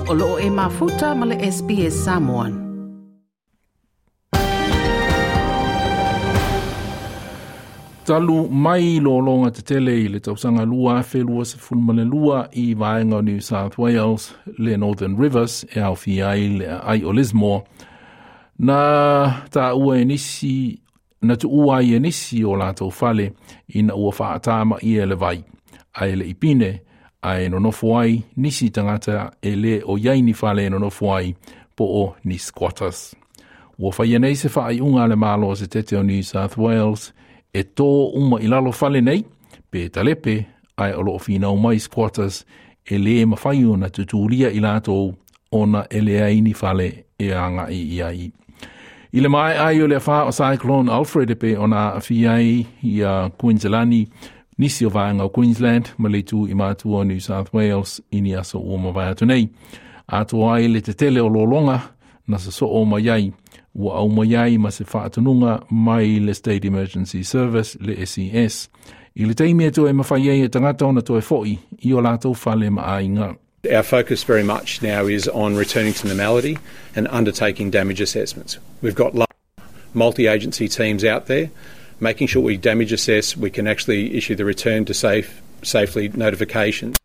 O loo e mafuta ma le SBS Samoan. Talu mai lologa tetele i le tausaga 2022 i vaega o New South Wales le Northern Rivers e aofia ai le aai o Lismore, na taua e nisi na tuua ai e nisi o latou fale ina ua faatamaia e le vai, ae e le i pine, ae nonofo ai nisi tagata e le o i ai ni fale e nonofo ai po o ni squatters. Ua faia nei se faaiuga a le Malo Setete o New South Wales e tō uma i lalo fale nei, pe talepe, ae o loo finau mai squatters e le mafai ona tutulia i latou ona e leai ni fale e agai i ai. I le maea ai o le afa o Cyclone Alfred e pei ona aafia ai ia Queensland, nisi o vaega o Queensland ma le itu i matua o New South Wales i ni aso ua mavae atu nei. Atoa ai le tetele o lologa na sosoo mai ai, ua aumai ai ma se faatonuga mai le State Emergency Service le SES. I le taimi e toe mafai ai e tagata ona toe foi i o latou fale ma aiga. Our focus very much now is on returning to normality and undertaking damage assessments. We've got multi-agency teams out there making sure we damage assess, we can actually issue the return to safe safely notifications.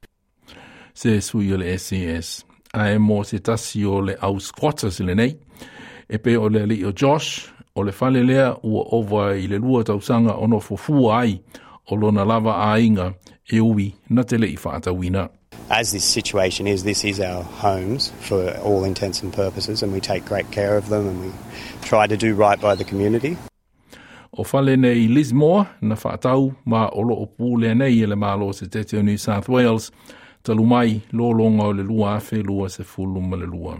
Se sui o le SES. Ae mo se tasi o le au squatters lenei, e pei o le alii o Josh, o le fale lea ua ova i le 2 tausaga o nofo fua ai o lona lava aiga e ui na te le i faatauina. As this situation is, this is our homes for all intents and purposes, and we take great care of them and we try to do right by the community. O fale nei Lismore na faatau ma o loo pulea nei e le Malo Setete o New South Wales talu mai lologa o le 2022.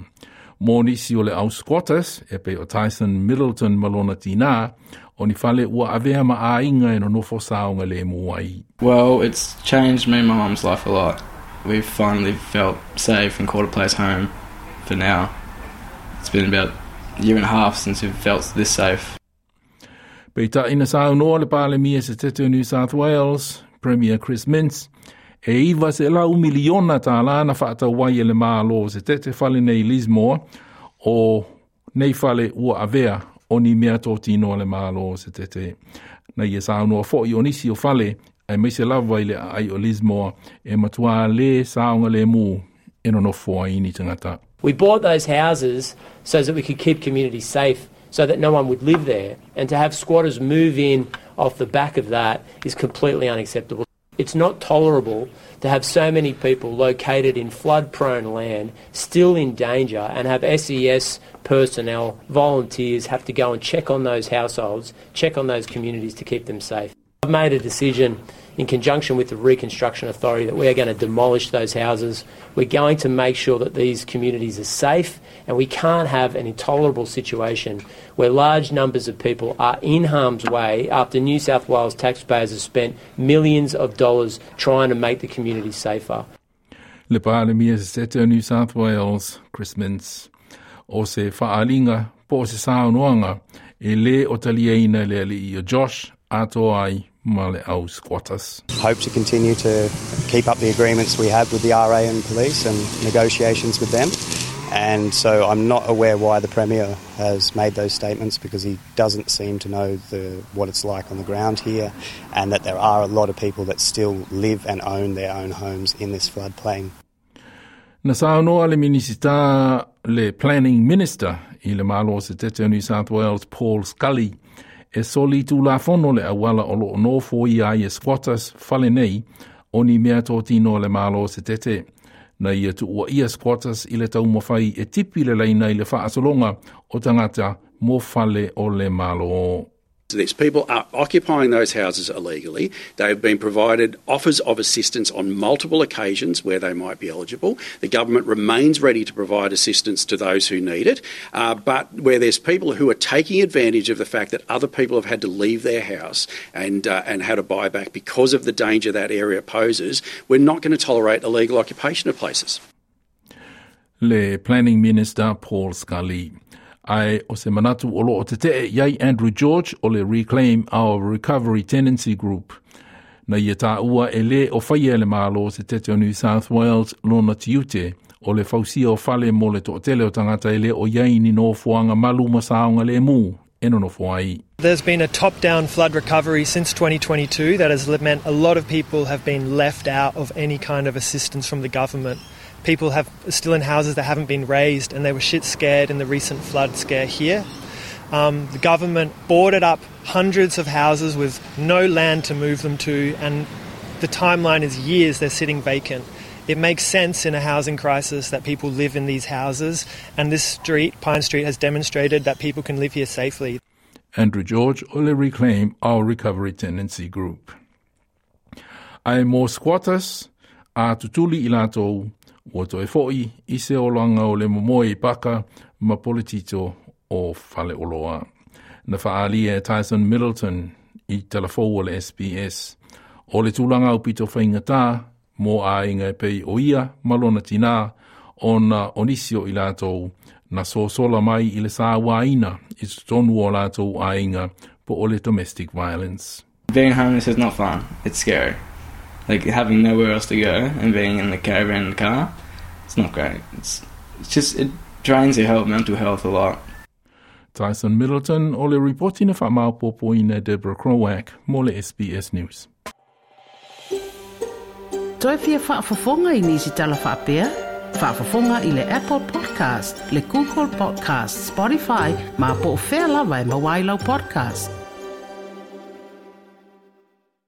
Mo nisi o le au squatters, e pei o Tyson Middleton ma lona tina, o ni fale ua avea ma aiga e nonofo saogalemu ai. Well, it's changed me and my mum's life a lot. We've finally felt safe and called a place home for now. It's been about a year and a half since we've felt this safe. Peitai na saunoa le Palemia Setete o New South Wales, Premier Chris Minns, e 900 miliona tālā na faatau ai e le Malo Setete fale nei Lismore o nei fale ua avea o ni mea totino a le Malo Setete. Na ia saunoa foi o nisi o fale aemaise lava i le aai o Lismore e matua le saogalemu e nonofo ai ni tagata. We bought those houses so that we could keep communities safe, so that no one would live there. And to have squatters move in off the back of that is completely unacceptable. It's not tolerable to have so many people located in flood-prone land still in danger and have SES personnel, volunteers, have to go and check on those households, check on those communities to keep them safe. I've made a decision in conjunction with the Reconstruction Authority that we are going to demolish those houses. We're going to make sure that these communities are safe, and we can't have an intolerable situation where large numbers of people are in harm's way after New South Wales taxpayers have spent millions of dollars trying to make the community safer. Le Palemia Setete o New South Wales, Chris Minns. O se faaalinga po o se saunoaga e le o taliaina le alii o Josh atoa ai ma le au squatters. Hope to continue to keep up the agreements we have with the RA and police and negotiations with them. And so I'm not aware why the Premier has made those statements, because he doesn't seem to know what it's like on the ground here, and that there are a lot of people that still live and own their own homes in this floodplain. Na saunoa le Minisita le Planning Minister i le Malo Setete o New South Wales, Paul Scully, e soli tulafono le auala o loo nofo ia ai e squatters fale nei o ni mea totino le Malo Setete. Na ia tuua ia squatters i le taumafai e tipi le laina i le faasologa o tagata mo fale o le Malo. These people are occupying those houses illegally. They've been provided offers of assistance on multiple occasions where they might be eligible. The government remains ready to provide assistance to those who need it. But where there's people who are taking advantage of the fact that other people have had to leave their house and had to buy back because of the danger that area poses, we're not going to tolerate illegal occupation of places. Le Planning Minister Paul Scully. Ae o se manatu o loo tetee i ai Andrew George o le Reclaim Our Recovery Tenancy Group. Na ia taua e le o faia le Malo Setete o New South Wales lona tiute. O le fausia o fale mo le toʻatele o tagata e le o i ai ni nofoaga malu ma saogalemu e nonofo ai. There's been a top-down flood recovery since 2022 that has meant a lot of people have been left out of any kind of assistance from the government. People have still in houses that haven't been raised and they were shit scared in the recent flood scare here. The government boarded up hundreds of houses with no land to move them to, and the timeline is years they're sitting vacant. It makes sense in a housing crisis that people live in these houses, and this street, Pine Street, has demonstrated that people can live here safely. Andrew George o le Reclaim Our Recovery Tenancy Group. Ae mo squatters, a tutuli i latou, ua toe fo'i i se olaga o le momoe i paka ma poletito o faleoloa. Na faaalia e Tyson Middleton i talafou o le SBS. O le tulaga aupito faigata mo aiga e pei o ia ma lona tinā ona o nisi o i latou na sosola mai i le sauaina i totonu o latou aiga po o le domestic violence. Being homeless is not fun. It's scary. Like having nowhere else to go and being in the caravan in the car, it's not great. It's just, it drains your health, mental health a lot. Tyson Middleton o le ripoti na faamaopoopoina e Deborah Krowak mo le SBS News. Toe fia faafofoga i nisi tala faapea? Faafofoga i le Apple Podcast, le Google Podcast, Spotify, ma po o fea lava e maua ai lau podcast.